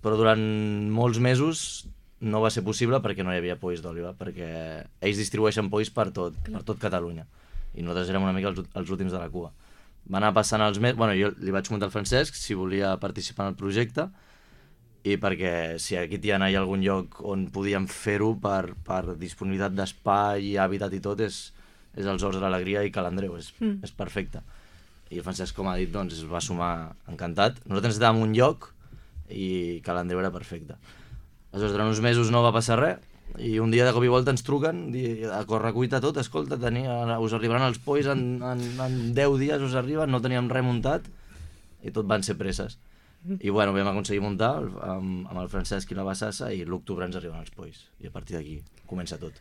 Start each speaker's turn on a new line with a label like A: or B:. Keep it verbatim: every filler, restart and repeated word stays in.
A: però durant molts mesos no va ser possible perquè no hi havia polls d'òliba, perquè ells distribueixen polls per tot, per tot Catalunya, i nosaltres érem una mica els, els últims de la cua. Va anar passant els mesos, bueno, jo li vaig comentar al Francesc si volia participar en el projecte, i perquè si aquí hi ha algun lloc on podíem fer-ho per, per disponibilitat d'espai, hàbitat i tot, és, és els Horts de l'Alegria i Ca l'Andreu, és, mm. és perfecte. I el Francesc, com ha dit, doncs, es va sumar encantat. Nosaltres necessitàvem un lloc i Ca l'Andreu era perfecte. Aleshores, durant uns mesos no va passar res, i un dia de cop i volta ens truquen, a correcuita tot, escolta, tenia, us arribaran els polls en, en, en deu dies, us arriben, no teníem res muntat, i tot van ser presses. I bueno, vam aconseguir muntar amb, amb el Francesc i la Bassassa, i l'octubre ens arriben els polls, i a partir d'aquí comença tot.